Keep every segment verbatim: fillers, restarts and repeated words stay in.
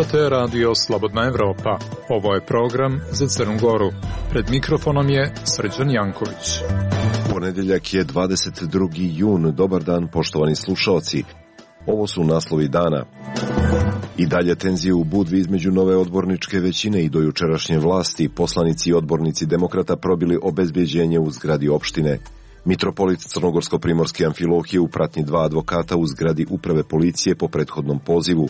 Slušate Radio Slobodna Evropa. Ovo je program za Crnu Goru. Pred mikrofonom je Srđan Janković. Ponedjeljak je dvadeset drugi jun. Dobar dan, poštovani slušaoci. Ovo su naslovi dana. I dalje tenzije u Budvi između nove odborničke većine i do jučerašnje vlasti. Poslanici i odbornici demokrata probili obezbeđenje u zgradi opštine. Mitropolit Crnogorsko-primorske Amfilohije u pratnji dva advokata u zgradi uprave policije po prethodnom pozivu.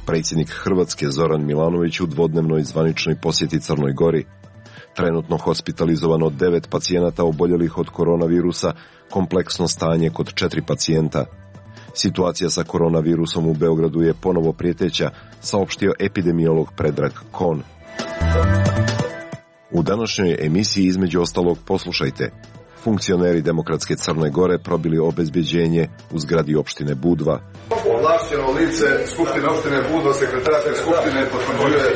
Predsjednik Hrvatske Zoran Milanović u dvodnevnoj zvaničnoj posjeti Crnoj Gori. Trenutno hospitalizovano devet pacijenata oboljelih od koronavirusa, kompleksno stanje kod četiri pacijenta. Situacija sa koronavirusom u Beogradu je ponovo prijeteća, saopštio epidemiolog Predrag Kon. U današnjoj emisiji između ostalog poslušajte. Funkcioneri Demokratske Crne Gore probili obezbeđenje u zgradi opštine Budva. Ovlašćeno lice Skupštine opštine Budva, sekretarske skupštine, potvrđuje.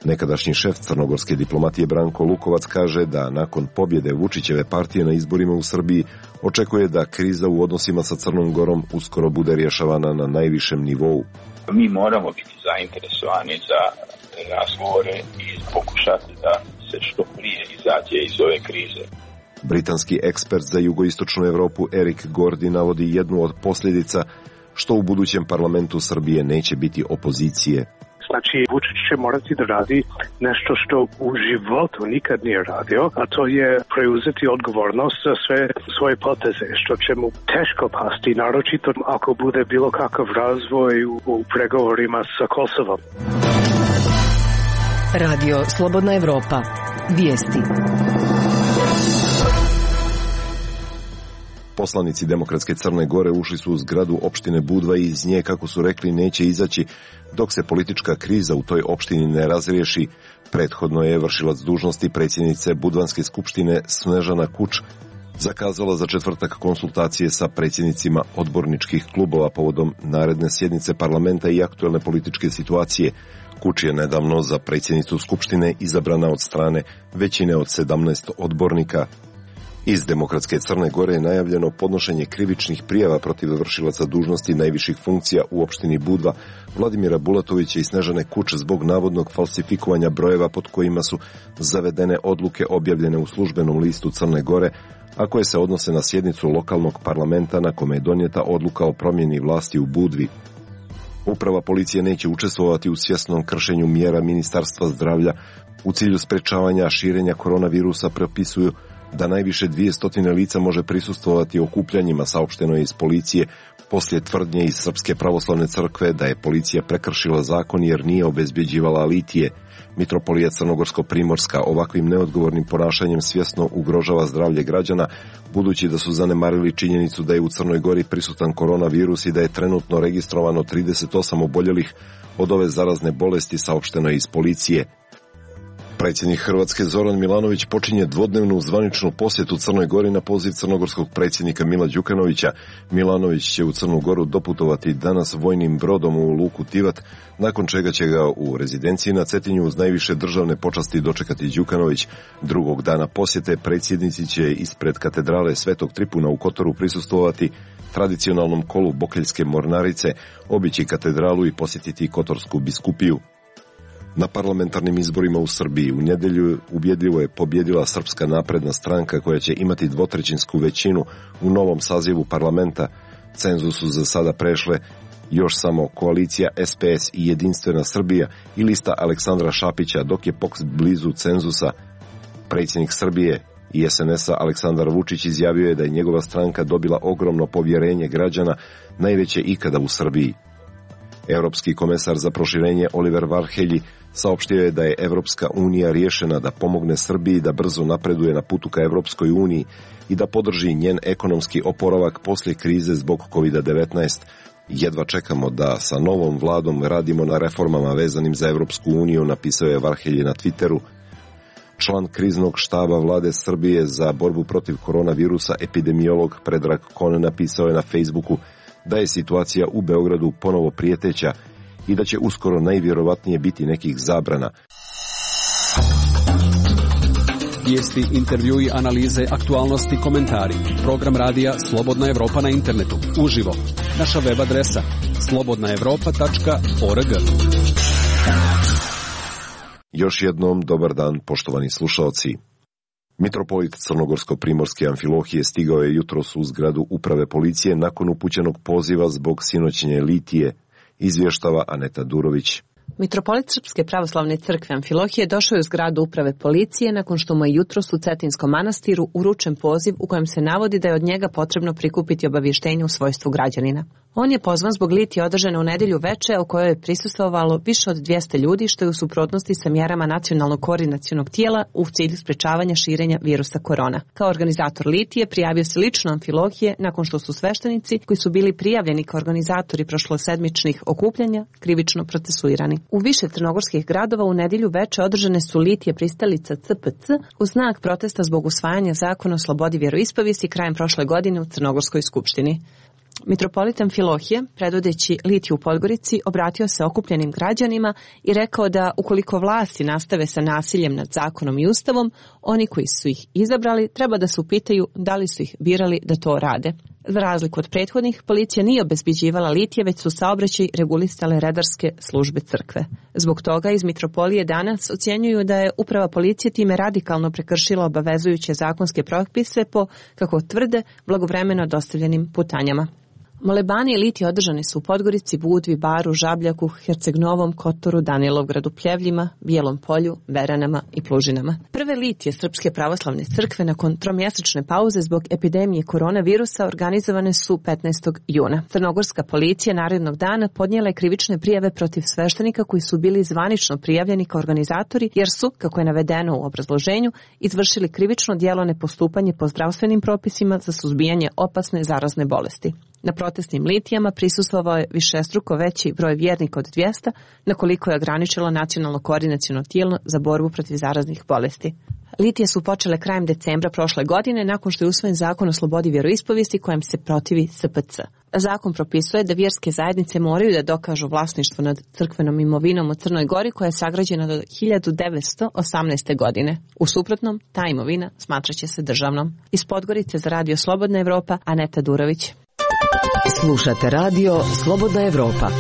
Nekadašnji šef crnogorske diplomatije Branko Lukovac kaže da nakon pobjede Vučićeve partije na izborima u Srbiji očekuje da kriza u odnosima sa Crnom Gorom uskoro bude rješavana na najvišem nivou. Mi moramo biti zainteresovani za razgovore i pokušati da se što prije izađe iz ove krize. Britanski ekspert za jugoistočnu Europu Erik Gordy navodi jednu od posljedica što u budućem parlamentu Srbije neće biti opozicije. Znači, Vučić će morati da radi nešto što u životu nikad nije radio, a to je preuzeti odgovornost za sve svoje poteze, što će mu teško pasti, naročito ako bude bilo kakav razvoj u, u pregovorima sa Kosovom. Radio Slobodna Evropa. Vijesti. Poslanici Demokratske Crne Gore ušli su u zgradu opštine Budva i iz nje, kako su rekli, neće izaći dok se politička kriza u toj opštini ne razriješi. Prethodno je vršilac dužnosti predsjednice Budvanske skupštine Snežana Kuč zakazala za četvrtak konsultacije sa predsjednicima odborničkih klubova povodom naredne sjednice parlamenta i aktuelne političke situacije. Kuč je nedavno za predsjednicu skupštine izabrana od strane većine od sedamnaest odbornika. Iz Demokratske Crne Gore je najavljeno podnošenje krivičnih prijava protiv vršilaca dužnosti najviših funkcija u opštini Budva, Vladimira Bulatovića i Snežane Kuč zbog navodnog falsifikovanja brojeva pod kojima su zavedene odluke objavljene u službenom listu Crne Gore, a koje se odnose na sjednicu lokalnog parlamenta na kome je donijeta odluka o promjeni vlasti u Budvi. Uprava policije neće učestvovati u svjesnom kršenju mjera Ministarstva zdravlja u cilju sprečavanja širenja koronavirusa, propisuju da najviše dvjesto lica može prisustvovati okupljanjima, saopšteno je iz policije poslije tvrdnje iz Srpske pravoslavne crkve da je policija prekršila zakon jer nije obezbjeđivala litije. Mitropolija Crnogorsko-primorska ovakvim neodgovornim ponašanjem svjesno ugrožava zdravlje građana, budući da su zanemarili činjenicu da je u Crnoj Gori prisutan koronavirus i da je trenutno registrovano trideset osam oboljelih od ove zarazne bolesti, saopšteno je iz policije. Predsjednik Hrvatske Zoran Milanović počinje dvodnevnu zvaničnu posjetu Crnoj Gori na poziv crnogorskog predsjednika Mila Đukanovića. Milanović će u Crnu Goru doputovati danas vojnim brodom u luku Tivat, nakon čega će ga u rezidenciji na Cetinju uz najviše državne počasti dočekati Đukanović. Drugog dana posjete predsjednici će ispred katedrale Svetog Tripuna u Kotoru prisustvovati tradicionalnom kolu Bokeljske mornarice, obići katedralu i posjetiti Kotorsku biskupiju. Na parlamentarnim izborima u Srbiji u nedjelju ubjedljivo je pobjedila Srpska napredna stranka koja će imati dvotrećinsku većinu u novom sazivu parlamenta. Cenzus su za sada prešle još samo koalicija S P S i Jedinstvena Srbija i lista Aleksandra Šapića, dok je P O K S blizu cenzusa. Predsjednik Srbije i S N S-a Aleksandar Vučić izjavio je da je njegova stranka dobila ogromno povjerenje građana, najveće ikada u Srbiji. Europski komesar za proširenje Oliver Varhelyi saopštio je da je Evropska unija rješena da pomogne Srbiji da brzo napreduje na putu ka Evropskoj uniji i da podrži njen ekonomski oporavak poslije krize zbog kovid devetnaest. Jedva čekamo da sa novom vladom radimo na reformama vezanim za Evropsku uniju, napisao je Varhelyi na Twitteru. Član kriznog štaba vlade Srbije za borbu protiv koronavirusa, epidemiolog Predrag Kon, napisao je na Facebooku da je situacija u Beogradu ponovo prijeteća i da će uskoro najvjerovatnije biti nekih zabrana. Vijesti, intervjui, analize, aktualnosti, komentari. Program radija Slobodna Evropa na internetu. Uživo. Naša web adresa slobodna evropa tačka org. Još jednom dobar dan, poštovani slušaoci. Mitropolit Crnogorsko-primorske Amfilohije stigao je jutros u zgradu uprave policije nakon upućenog poziva zbog sinoćnje litije, izvještava Aneta Durović. Mitropolit Srpske pravoslavne crkve Amfilohije došao je u zgradu uprave policije nakon što mu je jutros u Cetinskom manastiru uručen poziv u kojem se navodi da je od njega potrebno prikupiti obavještenje u svojstvu građanina. On je pozvan zbog litije održane u nedjelju veče, o kojoj je prisustvovalo više od dvjesto ljudi, što je u suprotnosti sa mjerama nacionalnog koordinacionog tijela u cilju sprečavanja širenja virusa korona. Kao organizator litije prijavio se lično Amfilohije nakon što su sveštenici koji su bili prijavljeni kao organizatori prošlosedmičnih okupljanja krivično procesuirani. U više crnogorskih gradova u nedjelju veče održane su litije pristalica C P C u znak protesta zbog usvajanja zakona o slobodi vjeroispovijesti krajem prošle godine u Crnogorskoj skupštini. Mitropolit Amfilohije, predvodeći litiju u Podgorici, obratio se okupljenim građanima i rekao da ukoliko vlasti nastave sa nasiljem nad zakonom i ustavom, oni koji su ih izabrali treba da se upitaju da li su ih birali da to rade. Za razliku od prethodnih, policija nije obezbeđivala litije, već su saobraćaj regulisale redarske službe crkve. Zbog toga iz Mitropolije danas ocjenjuju da je uprava policije time radikalno prekršila obavezujuće zakonske propise po, kako tvrde, blagovremeno dostavljenim putanjama. Molebani i litije održani su u Podgorici, Budvi, Baru, Žabljaku, Herceg-Novom, Kotoru, Danilovgradu, Pljevljima, Bijelom polju, Beranama i Plužinama. Prve litije Srpske pravoslavne crkve nakon tromjesečne pauze zbog epidemije koronavirusa organizovane su petnaestog juna. Crnogorska policija narednog dana podnijela je krivične prijave protiv sveštenika koji su bili zvanično prijavljeni kao organizatori jer su, kako je navedeno u obrazloženju, izvršili krivično djelo nepostupanje po zdravstvenim propisima za suzbijanje opasne zarazne bolesti. Na protestnim litijama prisustvovao je višestruko veći broj vjernika od dvjesto, na koliko je ograničilo nacionalno koordinaciono tijelo za borbu protiv zaraznih bolesti. Litije su počele krajem decembra prošle godine nakon što je usvojen zakon o slobodi vjeroispovijesti kojem se protivi S P C. Zakon propisuje da vjerske zajednice moraju da dokažu vlasništvo nad crkvenom imovinom u Crnoj Gori koja je sagrađena do hiljadu devetsto osamnaeste. godine. U suprotnom, ta imovina smatraće se državnom. Iz Podgorice za radio Slobodna Evropa, Aneta Durović. Slušate radio Slobodna Evropa.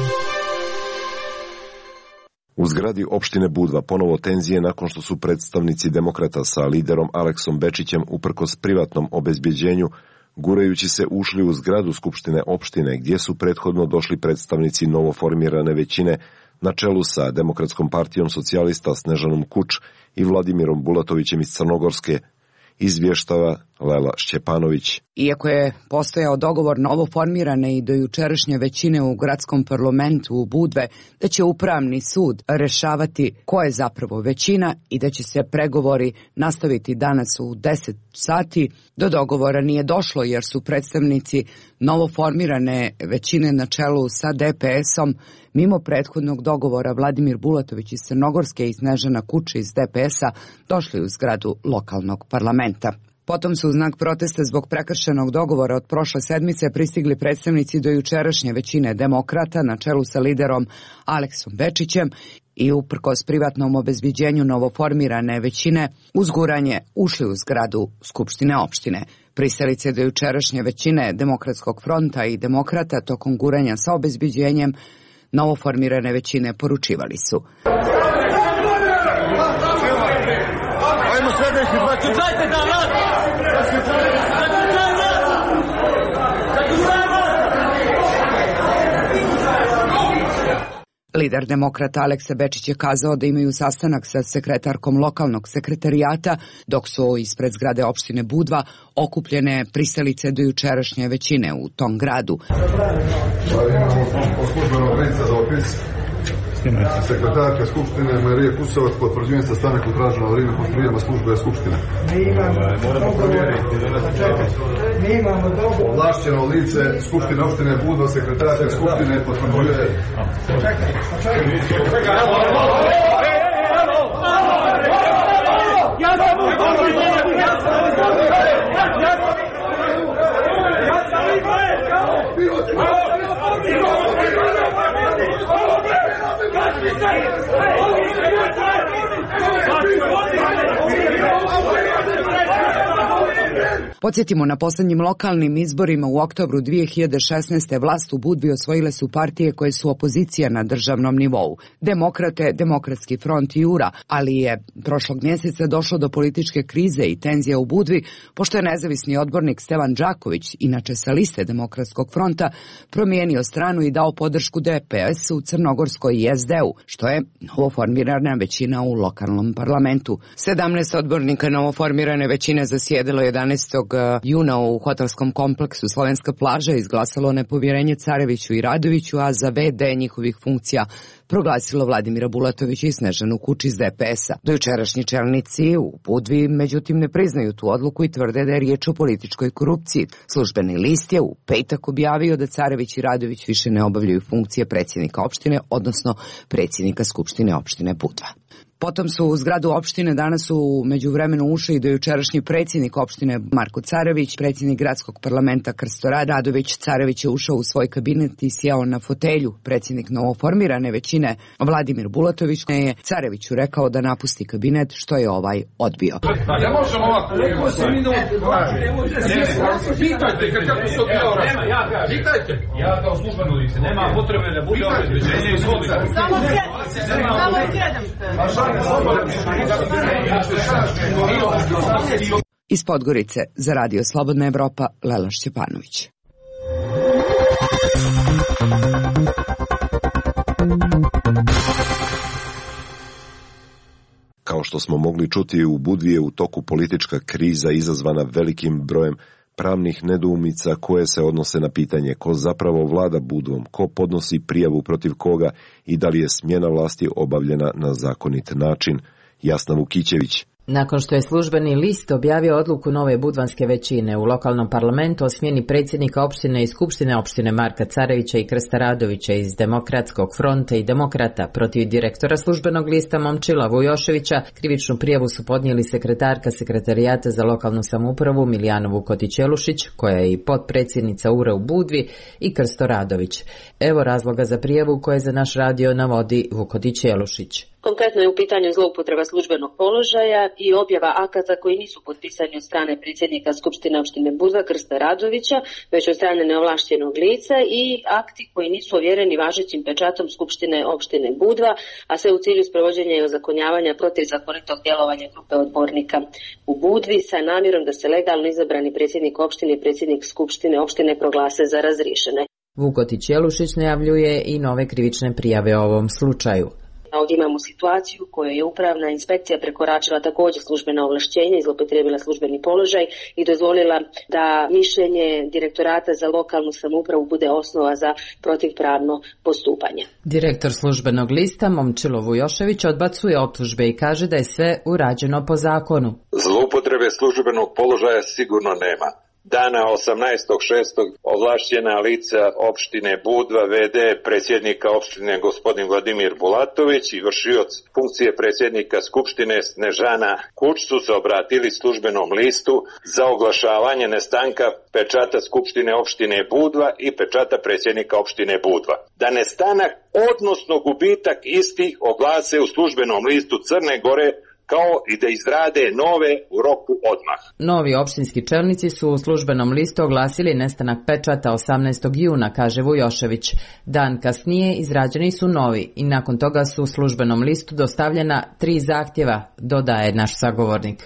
U zgradi opštine Budva ponovo tenzije nakon što su predstavnici demokrata sa liderom Aleksom Bečićem uprkos privatnom obezbjeđenju gurajući se ušli u zgradu skupštine opštine gdje su prethodno došli predstavnici novoformirane većine na čelu sa Demokratskom partijom socijalista Snežanom Kuč i Vladimirom Bulatovićem iz Crnogorske, izvještava Lela Šćepanović. Iako je postojao dogovor novoformirane i dojučerašnje većine u gradskom parlamentu u Budve da će upravni sud rešavati ko je zapravo većina i da će se pregovori nastaviti danas u deset sati, do dogovora nije došlo jer su predstavnici novoformirane većine na čelu sa D P S-om mimo prethodnog dogovora Vladimir Bulatović iz Crnogorske i Snežana Kuče iz D P S-a došli u zgradu lokalnog parlamenta. Potom su u znak protesta zbog prekršenog dogovora od prošle sedmice pristigli predstavnici dojučerašnje većine demokrata na čelu sa liderom Aleksom Bečićem i uprkos privatnom obezbeđenju novoformirane većine uz guranje ušli u zgradu Skupštine opštine. Pristalice dojučerašnje većine Demokratskog fronta i demokrata tokom guranja sa obezbeđenjem novoformirane većine poručivali su: Ajmo sljedeći dva čekajte da vlad! Lider demokrata Aleksa Bečić je kazao da imaju sastanak sa sekretarkom lokalnog sekretarijata, dok su ispred zgrade opštine Budva okupljene pristalice dojučerašnje većine u tom gradu. Sekretarka Skupštine Marije Kusovac, potvrđujem sastanak u traženo vrijeme po prijema službe Skupštine. Mi imamo, moramo provjeriti. Mi imamo dogovor. Ovlašćeno lice Skupštine opštine Budva, sekretarka Skupštine potvrđuje. Čekaj, čekaj. Ja sam u ja sam Podsjetimo, na poslednjim lokalnim izborima u oktobru dve hiljade šesnaeste. vlast u Budvi osvojile su partije koje su opozicija na državnom nivou. Demokrate, Demokratski front i U R A, ali je prošlog mjeseca došlo do političke krize i tenzija u Budvi, pošto je nezavisni odbornik Stevan Đaković, inače sa liste Demokratskog fronta, promijenio stranu i dao podršku D P S-u, Crnogorskoj i S D-u, što je novoformirana većina u lokalnom parlamentu. sedamnaest odbornika novoformirane većine zasjedilo jedanaestog juna u hotelskom kompleksu Slovenska plaža i izglasalo nepovjerenje Careviću i Radoviću, a za ve de njihovih funkcija proglasilo Vladimira Bulatovića i Snežanu Kuč iz D P S-a. Dojučerašnji čelnici u Budvi međutim ne priznaju tu odluku i tvrde da je riječ o političkoj korupciji. Službeni list je u petak objavio da Carević i Radović više ne obavljaju funkcije predsjednika opštine, odnosno predsjednika Skupštine opštine Budva. Potom su u zgradu opštine danas u međuvremenu ušli i dojučerašnji predsjednik opštine Marko Carević, predsjednik gradskog parlamenta Krsto Radović. Carević je ušao u svoj kabinet i sjeo na fotelju. Predsjednik novoformirane većine Vladimir Bulatović je Careviću rekao da napusti kabinet, što je ovaj odbio. Ne možemo ovako. Pitajte kako se odbio. Pitajte. Ja kao službeno lice. Nema potrebe da bude obezbeđenje. Izvolite. Samo sjedam. Iz Podgorice za Radio Slobodna Evropa, Lela Šćepanović. Kao što smo mogli čuti, u Budvi je u toku politička kriza izazvana velikim brojem pravnih nedoumica koje se odnose na pitanje ko zapravo vlada Budvom, ko podnosi prijavu protiv koga i da li je smjena vlasti obavljena na zakonit način. Jasna Vukićević. Nakon što je službeni list objavio odluku nove budvanske većine u lokalnom parlamentu o smjeni predsjednika opštine i skupštine opštine Marka Carevića i Krsta Radovića iz Demokratskog fronta i Demokrata protiv direktora službenog lista Momčila Vujoševića, krivičnu prijavu su podnijeli sekretarka Sekretarijata za lokalnu samoupravu Milijana Vukoti-Ćelušić, koja je i potpredsjednica U R A u Budvi, i Krsto Radović. Evo razloga za prijavu koje za naš radio navodi Vukoti-Ćelušić. Konkretno je u pitanju zloupotreba službenog položaja i objava akata koji nisu potpisani od strane predsjednika Skupštine opštine Budva Krsta Radovića, već od strane neovlašćenog lica, i akti koji nisu ovjereni važećim pečatom Skupštine opštine Budva, a sve u cilju sprovođenja i ozakonjavanja protivzakonitog djelovanja grupe odbornika u Budvi sa namjerom da se legalno izabrani predsjednik opštine i predsjednik Skupštine opštine proglase za razriješene. Vukoti-Ćelušić najavljuje i nove krivične prijave o ovom slučaju. Ovdje imamo situaciju u kojoj je upravna inspekcija prekoračila također službena ovlašćenja, zloupotrijebila službeni položaj i dozvolila da mišljenje direktorata za lokalnu samoupravu bude osnova za protivpravno postupanje. Direktor službenog lista Momčilo Vujošević odbacuje optužbe i kaže da je sve urađeno po zakonu. Zloupotrebe službenog položaja sigurno nema. Dana osamnaestog šestog ovlašćena lica opštine Budva, ve de predsjednika opštine gospodin Vladimir Bulatović i vršioc funkcije predsjednika Skupštine Snežana Kuč su se obratili službenom listu za oglašavanje nestanka pečata Skupštine opštine Budva i pečata predsjednika opštine Budva. Da nestanak, odnosno gubitak istih, oglase u službenom listu Crne Gore, kao i da izrade nove u roku odmah. Novi opštinski čelnici su u službenom listu oglasili nestanak pečata osamnaestog juna, kaže Vujošević. Dan kasnije izrađeni su novi i nakon toga su u službenom listu dostavljena tri zahtjeva, dodaje naš sagovornik.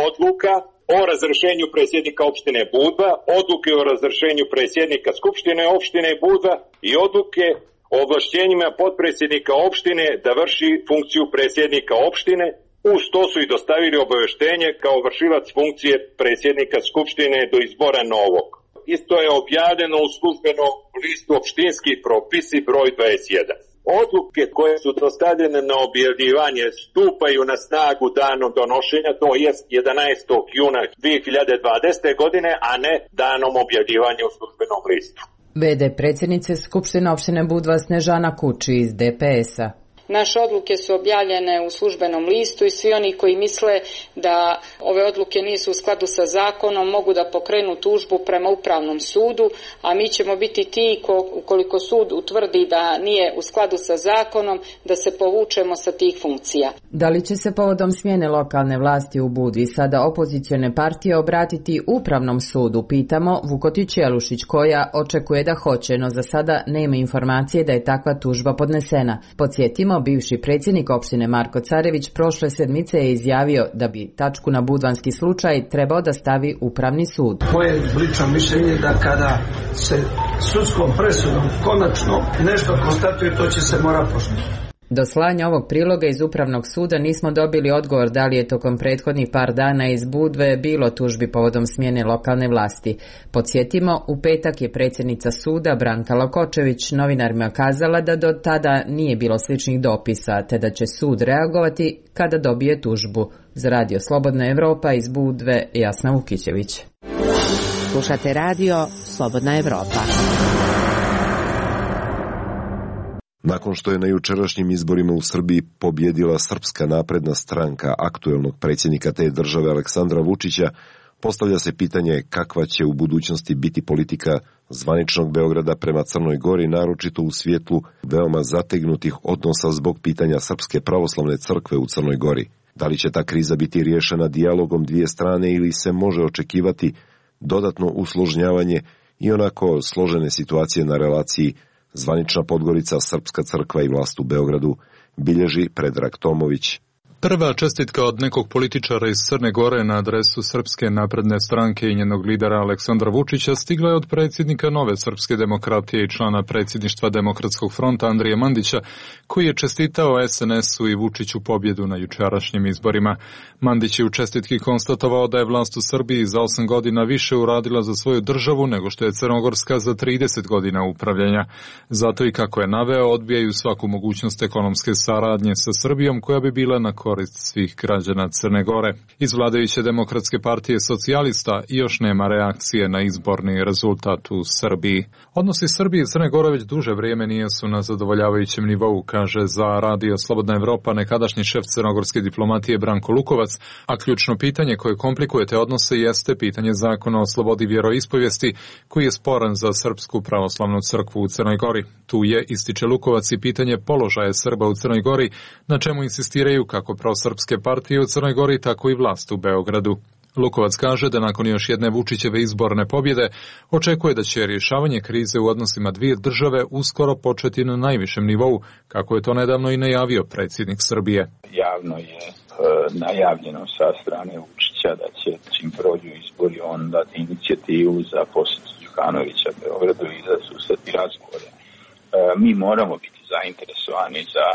Odluka o razrješenju predsjednika opštine Budva, odluke o razrješenju predsjednika Skupštine opštine Budva i odluke o ovlašćenjima potpredsjednika opštine da vrši funkciju predsjednika opštine. Uz to su i dostavili obavještenje kao vršilac funkcije predsjednika Skupštine do izbora novog. Isto je objavljeno u službenom listu opštinski propisi broj dvadeset jedan. Odluke koje su dostavljene na objavljivanje stupaju na snagu danom donošenja, to jest jedanaestog juna dvije hiljade dvadesete. godine, a ne danom objavljivanja u službenom listu. ve de predsjednice Skupštine opštine Budva Snežana Kuč iz de pe es-a. Naše odluke su objavljene u službenom listu i svi oni koji misle da ove odluke nisu u skladu sa zakonom mogu da pokrenu tužbu prema upravnom sudu, a mi ćemo biti ti ko, ukoliko sud utvrdi da nije u skladu sa zakonom, da se povučemo sa tih funkcija. Da li će se povodom smjene lokalne vlasti u Budvi sada opozicione partije obratiti upravnom sudu, pitamo Vukotić Jelušić, koja očekuje da hoće, no za sada nema informacije da je takva tužba podnesena. Podsjetimo, bivši predsjednik opštine Marko Carević prošle sedmice je izjavio da bi tačku na budvanski slučaj trebao da stavi upravni sud. Moje lično mišljenje da kada se sudskom presudom konačno nešto konstatuje, to će se mora poštovati. Do slanja ovog priloga iz Upravnog suda nismo dobili odgovor da li je tokom prethodnih par dana iz Budve bilo tužbi povodom smjene lokalne vlasti. Podsjetimo, u petak je predsjednica suda Branka Lokočević novinarima kazala da do tada nije bilo sličnih dopisa, te da će sud reagovati kada dobije tužbu. Za Radio Slobodna Evropa iz Budve, Jasna Vukićević. Slušate Radio Slobodna Evropa. Nakon što je na jučerašnjim izborima u Srbiji pobjedila Srpska napredna stranka aktuelnog predsjednika te države Aleksandra Vučića, postavlja se pitanje kakva će u budućnosti biti politika zvaničnog Beograda prema Crnoj Gori, naročito u svjetlu veoma zategnutih odnosa zbog pitanja Srpske pravoslavne crkve u Crnoj Gori. Da li će ta kriza biti riješena dijalogom dvije strane ili se može očekivati dodatno usložnjavanje i onako složene situacije na relaciji zvanična Podgorica, Srpska crkva i vlast u Beogradu, bilježi Predrag Tomović. Prva čestitka od nekog političara iz Crne Gore na adresu Srpske napredne stranke i njenog lidera Aleksandra Vučića stigla je od predsjednika Nove srpske demokratije i člana predsjedništva Demokratskog fronta Andrije Mandića, koji je čestitao es en esu i Vučiću pobjedu na jučerašnjim izborima. Mandić je u čestitki konstatovao da je vlast u Srbiji za osam godina više uradila za svoju državu nego što je Crnogorska za trideset godina upravljanja. Zato i kako je naveo, odbijaju svaku mogućnost ekonomske saradnje sa Srbijom koja bi bila na korist svih građana Crne Gore. Iz vladajuće Demokratske partije socijalista još nema reakcije na izborni rezultat u Srbiji. Odnosi Srbije i Crne Gore već duže vrijeme nisu na zadovoljavajućem nivou, kaže za Radio Slobodna Evropa nekadašnji šef crnogorske diplomatije Branko Lukovac, a ključno pitanje koje komplikuje te odnose jeste pitanje zakona o slobodi vjeroispovijesti, koji je sporan za Srpsku pravoslavnu crkvu u Crnoj Gori. Tu je, ističe Lukovac, i pitanje položaja Srba u Crnoj Gori, na čemu insistiraju kako prosrpske partije u Crnoj Gori, tako i vlast u Beogradu. Lukovac kaže da nakon još jedne Vučićeve izborne pobjede očekuje da će rješavanje krize u odnosima dvije države uskoro početi na najvišem nivou, kako je to nedavno i najavio predsjednik Srbije. Javno je e, najavljeno sa strane Vučića da će čim prođu izbori on dati inicijativu za posjet Đukanovića Beogradu i za susret i razgovore. E, mi moramo biti zainteresovani za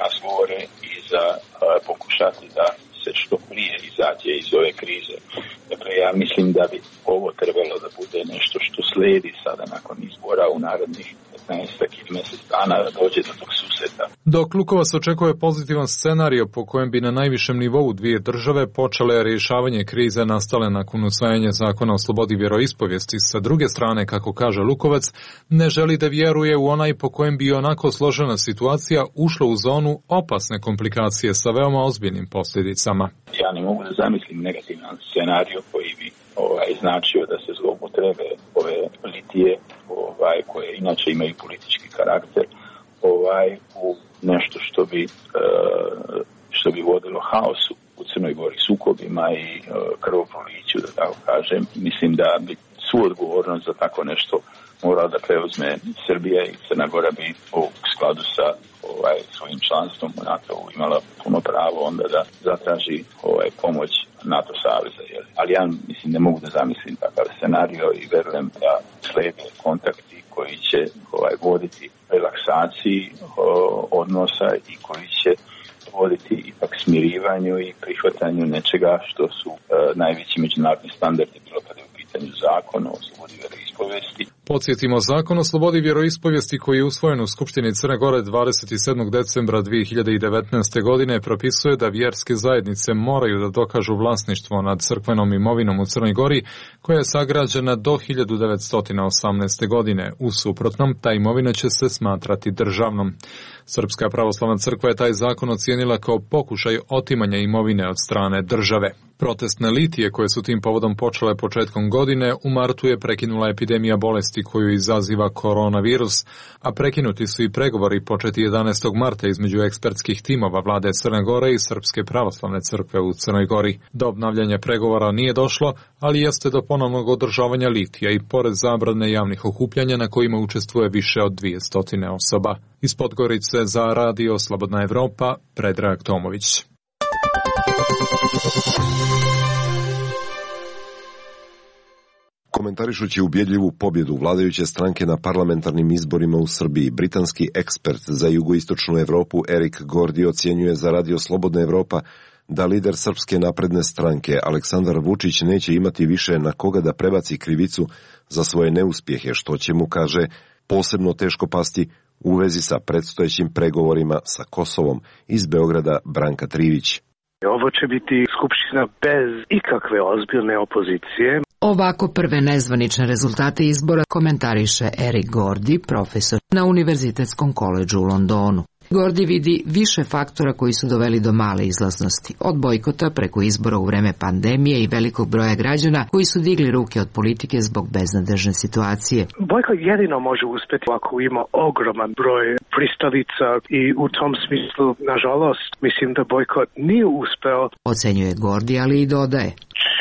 razgovore i za e, pokušati da se što prije izađe iz ove krize. Dakle, ja mislim da bi ovo trebalo da bude nešto što slijedi sada nakon izbora u narednih petnaestak ili mjesec dana da dođe do tog susreta. Dok Lukovac očekuje pozitivan scenario po kojem bi na najvišem nivou dvije države počele rješavanje krize nastale nakon usvajanja zakona o slobodi vjeroispovijesti, sa druge strane, kako kaže Lukovac, ne želi da vjeruje u onaj po kojem bi onako složena situacija ušla u zonu opasne komplikacije sa veoma ozbiljnim posljedicama. Ja ne mogu da zamislim negativan scenario koji bi ovaj, značio da se zloupotrebe ove litije ovaj, koje inače imaju politički karakter ovaj, u nešto što bi, uh, što bi vodilo haosu u Crnoj Gori, sukobima i uh, krvoproliću, da tako kažem. Mislim da bi svu odgovornost za tako nešto morala da preuzme Srbija i Crna Gora bi u skladu sa ovaj, svojim članstvom u NATO-u imala puno pravo onda da zatraži ovaj, pomoć NATO saveza. Jel? Ali ja mislim ne mogu da zamislim takav scenario i verujem da slede kontakti koji će ovaj, voditi relaksaciji o, odnosa i koji će voditi ipak smirivanju i prihvatanju nečega što su e, najveći međunarodni standardi bilo kada je u pitanju zakona o slobodi vjeroispovijesti. Podsjetimo, zakon o slobodi vjeroispovijesti koji je usvojen u Skupštini Crne Gore dvadeset sedmog decembra dvije hiljade devetnaeste. godine propisuje da vjerske zajednice moraju da dokažu vlasništvo nad crkvenom imovinom u Crnoj Gori koja je sagrađena do hiljadu devetsto osamnaeste. godine. U suprotnom, ta imovina će se smatrati državnom. Srpska pravoslavna crkva je taj zakon ocijenila kao pokušaj otimanja imovine od strane države. Protestne litije koje su tim povodom počele početkom godine, u martu je prekinula epidemija bolesti koju izaziva koronavirus, a prekinuti su i pregovori početi jedanaestog marta između ekspertskih timova vlade Crne Gore i Srpske pravoslavne crkve u Crnoj Gori. Do obnavljanja pregovora nije došlo, ali jeste do ponovnog održavanja litija i pored zabrane javnih okupljanja na kojima učestvuje više od dvjesto osoba. Iz Podgorice za radio Slobodna Evropa, Predrag Tomović. Komentarišući ubjedljivu pobjedu vladajuće stranke na parlamentarnim izborima u Srbiji, britanski ekspert za jugoistočnu Evropu Erik Gordi ocjenjuje za radio Slobodna Evropa da lider Srpske napredne stranke Aleksandar Vučić neće imati više na koga da prebaci krivicu za svoje neuspjehe, što će mu, kaže, posebno teško pasti u vezi sa predstojećim pregovorima sa Kosovom. Iz Beograda Branka Trivić. Ovo će biti skupština bez ikakve ozbiljne opozicije. Ovako prve nezvanične rezultate izbora komentariše Erik Gordi, profesor na Univerzitetskom koledžu u Londonu. Gordi vidi više faktora koji su doveli do male izlaznosti, od bojkota preko izbora u vreme pandemije i velikog broja građana koji su digli ruke od politike zbog beznadežne situacije. Bojkot jedino može uspjeti ako ima ogroman broj pristalica i u tom smislu, nažalost, mislim da bojkot nije uspeo. Ocenjuje Gordi, ali i dodaje.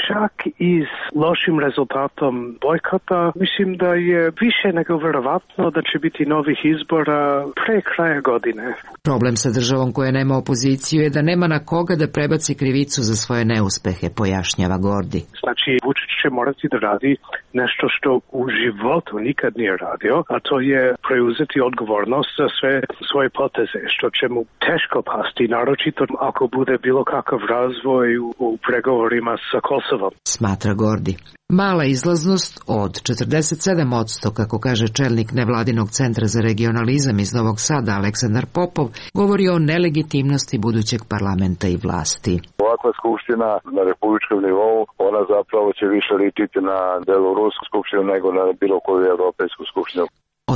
Čak i s lošim rezultatom bojkota, mislim da je više nego vjerovatno da će biti novih izbora pre kraja godine. Problem sa državom koja nema opoziciju je da nema na koga da prebaci krivicu za svoje neuspehe, pojašnjava Gordi. Znači, Vučić će morati da radi nešto što u životu nikad nije radio, a to je preuzeti odgovornost za sve svoje poteze, što će mu teško pasti, naročito ako bude bilo kakav razvoj u, u pregovorima sa Kosovom. Smatra Gordi. Mala izlaznost od četrdeset sedam posto, kako kaže čelnik nevladinog centra za regionalizam iz Novog Sada Aleksandar Popov, govori o nelegitimnosti budućeg parlamenta i vlasti. Ovakva skupština na republičkom nivou, ona zapravo će više ličiti na belorusku skupštinu nego na bilo koju evropejsku skupštinu.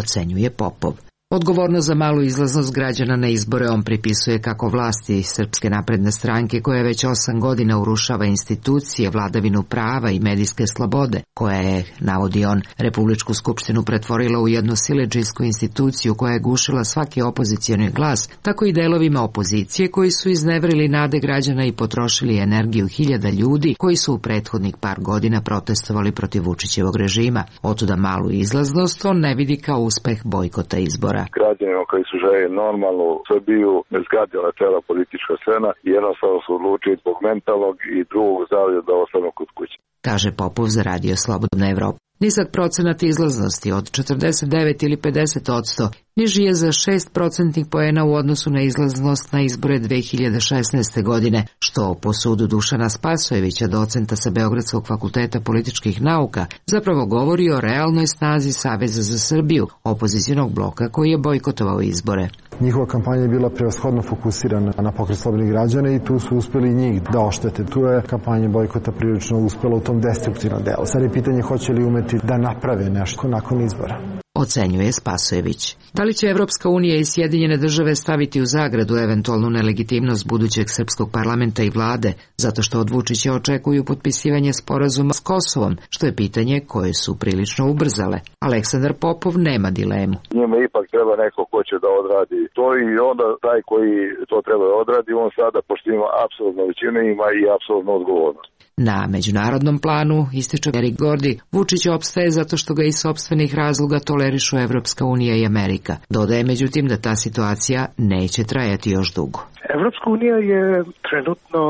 Ocenjuje Popov. Odgovornost za malu izlaznost građana na izbore on pripisuje kako vlasti Srpske napredne stranke koja već osam godina urušava institucije, vladavinu prava i medijske slobode, koja je, navodi on, Republičku skupštinu pretvorila u jednu siledžijsku instituciju koja je gušila svaki opozicioni glas, tako i delovima opozicije koji su iznevrili nade građana i potrošili energiju hiljada ljudi koji su u prethodnih par godina protestovali protiv Vučićevog režima. Otuda malu izlaznost on ne vidi kao uspeh bojkota izbora. Građanima koji su željeli normalnu Srbiju ne zgadila cela politička scena i jednostavno su odlučili zbog mentalnog i drugog zdravlja da ostanu kod kuće. Kaže Popov za radio Slobodna Evropa. Nizak procenat izlaznosti od četrdeset devet ili pedeset posto niži je za šest procentnih poena u odnosu na izlaznost na izbore dve hiljade šesnaeste. godine, što po sudu Dušana Spasojevića, docenta sa Beogradskog fakulteta političkih nauka, zapravo govori o realnoj snazi Saveza za Srbiju, opozicionog bloka koji je bojkotovao izbore. Njihova kampanja je bila prevashodno fokusirana na pokret slobodnih građana i tu su uspeli njih da oštete. Tu je kampanja bojkota prilično uspela u tom destruktivnom delu. Sad je pitanje hoće li umeti da naprave nešto nakon izbora. Ocenjuje Spasojević. Da li će Evropska unija i Sjedinjene države staviti u zagradu eventualnu nelegitimnost budućeg srpskog parlamenta i vlade, zato što od Vučića očekuju potpisivanje sporazuma s Kosovom, što je pitanje koje su prilično ubrzale. Aleksandar Popov nema dilemu. Njima ipak treba neko ko će da odradi to i onda taj koji to treba da odradi, on sada, pošto ima apsolutno većinu, ima i apsolutnu odgovornost. Na međunarodnom planu, ističe Erik Gordi, Vučić opstaje zato što ga iz sopstvenih razloga tolerišu Evropska unija i Amerika. Dodaje međutim da ta situacija neće trajati još dugo. Evropska unija je trenutno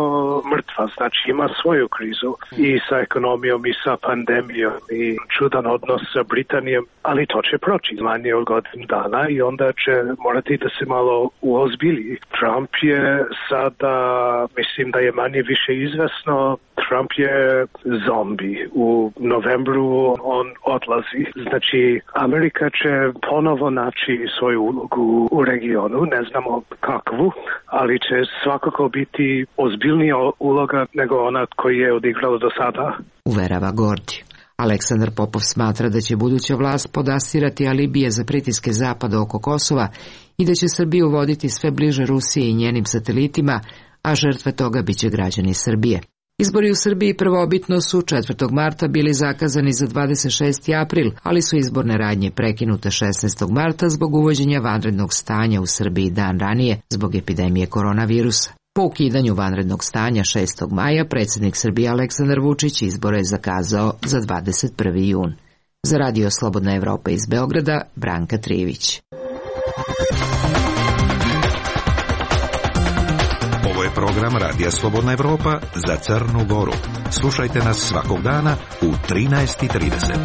mrtva, znači ima svoju krizu i sa ekonomijom i sa pandemijom i čudan odnos sa Britanijom, ali to će proći manje od godinu dana i onda će morati da se malo uozbilji. Trump je sada, mislim da je manje više izvesno Trump je zombi. U novembru on odlazi. Znači, Amerika će ponovo naći svoju ulogu u regionu, ne znamo kakvu, ali će svakako biti ozbiljnija uloga nego ona koju je odigrala do sada. Uverava Gordi. Aleksandar Popov smatra da će buduća vlast podastirati alibije za pritiske Zapada oko Kosova i da će Srbiju voditi sve bliže Rusiji i njenim satelitima, a žrtve toga biće građani Srbije. Izbori u Srbiji prvobitno su četvrtog marta bili zakazani za dvadeset šesti april, ali su izborne radnje prekinute šesnaestog marta zbog uvođenja vanrednog stanja u Srbiji dan ranije zbog epidemije koronavirusa. Po ukidanju vanrednog stanja šestog maja, predsjednik Srbije Aleksandar Vučić izbore je zakazao za dvadeset prvi jun. Za Radio Slobodna Evropa iz Beograda, Branka Trivić. Ovo je program Radija Slobodna Evropa za Crnu Goru. Slušajte nas svakog dana u trinaest i trideset.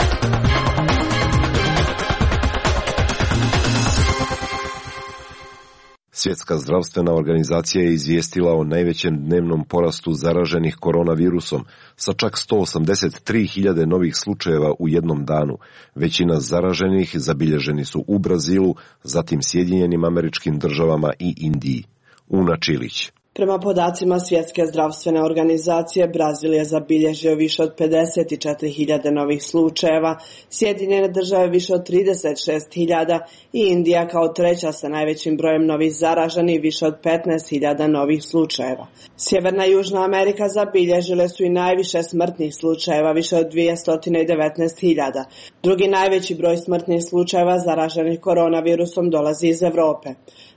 Svjetska zdravstvena organizacija je izvijestila o najvećem dnevnom porastu zaraženih koronavirusom, sa čak sto osamdeset tri hiljade novih slučajeva u jednom danu. Većina zaraženih zabilježeni su u Brazilu, zatim Sjedinjenim Američkim Državama i Indiji. Una Čilić. Prema podacima Svjetske zdravstvene organizacije, Brazil je zabilježio više od pedeset četiri hiljade novih slučajeva, Sjedinjene Države više od trideset šest hiljada i Indija kao treća sa najvećim brojem novih zaraženih više od petnaest hiljada novih slučajeva. Sjeverna i Južna Amerika zabilježile su i najviše smrtnih slučajeva, više od dvjesto devetnaest hiljada. Drugi najveći broj smrtnih slučajeva zaraženih koronavirusom dolazi iz Evrope.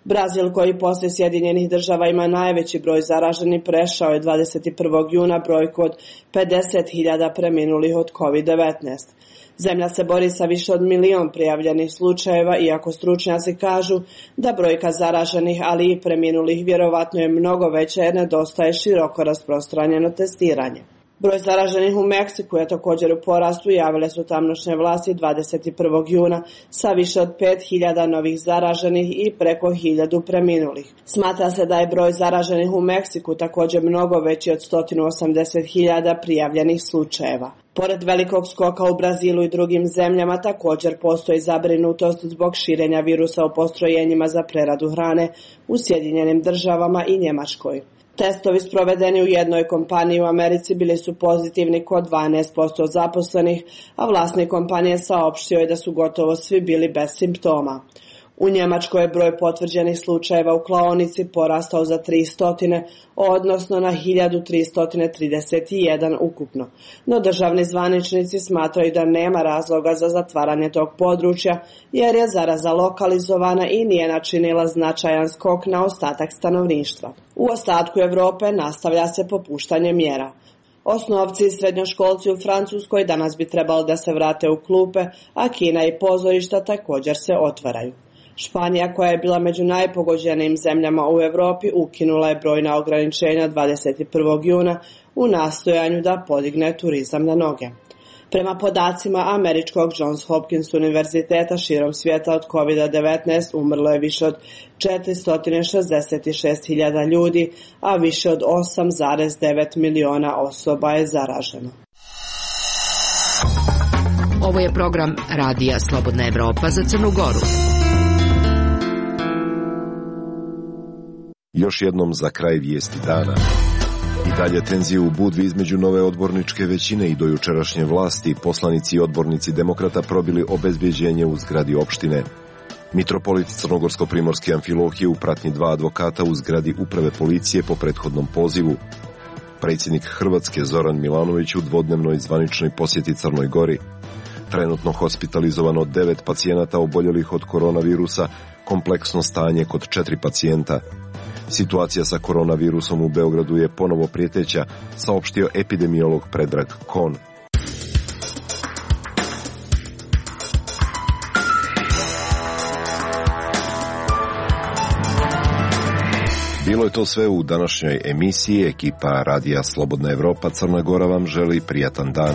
Brazil, koji poslije Sjedinjenih Država ima najveći broj zaraženih, prešao je dvadeset prvog juna brojku od pedeset hiljada preminulih od kovid devetnaest. Zemlja se bori sa više od milion prijavljenih slučajeva, iako stručnjaci kažu da brojka zaraženih, ali i preminulih vjerovatno je mnogo veća jer nedostaje široko rasprostranjeno testiranje. Broj zaraženih u Meksiku je također u porastu, javile su tamošnje vlasti dvadeset prvog juna sa više od pet hiljada novih zaraženih i preko hiljadu preminulih. Smatra se da je broj zaraženih u Meksiku također mnogo veći od sto osamdeset hiljada prijavljenih slučajeva. Pored velikog skoka u Brazilu i drugim zemljama također postoji zabrinutost zbog širenja virusa u postrojenjima za preradu hrane u Sjedinjenim Državama i Njemačkoj. Testovi sprovedeni u jednoj kompaniji u Americi bili su pozitivni kod dvanaest posto zaposlenih, a vlasnik kompanije saopštio je da su gotovo svi bili bez simptoma. U Njemačkoj je broj potvrđenih slučajeva u klaonici porastao za tristo, odnosno na hiljadu tristo trideset jedan ukupno. No državni zvaničnici smatraju da nema razloga za zatvaranje tog područja, jer je zaraza lokalizovana i nije načinila značajan skok na ostatak stanovništva. U ostatku Evrope nastavlja se popuštanje mjera. Osnovci i srednjoškolci u Francuskoj danas bi trebalo da se vrate u klupe, a kina i pozorišta također se otvaraju. Španija, koja je bila među najpogođenijim zemljama u Europi, ukinula je brojna ograničenja dvadeset prvog juna u nastojanju da podigne turizam na noge. Prema podacima američkog Johns Hopkins univerziteta, širom svijeta od kovid devetnaest umrlo je više od četiristo šezdeset šest hiljada ljudi, a više od osam zarez devet miliona osoba je zaraženo. Ovo je program Radija Slobodna Evropa za Crnu Goru. Još jednom za kraj vijesti dana. I dalje tenzije u Budvi između nove odborničke većine i dojučerašnje vlasti, poslanici i odbornici demokrata probili obezbjeđenje u zgradi opštine. Mitropolit Crnogorsko-primorske Amfilohije u pratnji dva advokata u zgradi uprave policije po prethodnom pozivu. Predsjednik Hrvatske Zoran Milanović u dvodnevnoj zvaničnoj posjeti Crnoj Gori. Trenutno hospitalizovano devet pacijenata oboljelih od koronavirusa, kompleksno stanje kod četiri pacijenta. Situacija sa koronavirusom u Beogradu je ponovo prijeteća, saopštio epidemiolog Predrag Kon. Bilo je to sve u današnjoj emisiji. Ekipa Radija Slobodna Evropa Crna Gora vam želi prijatan dan.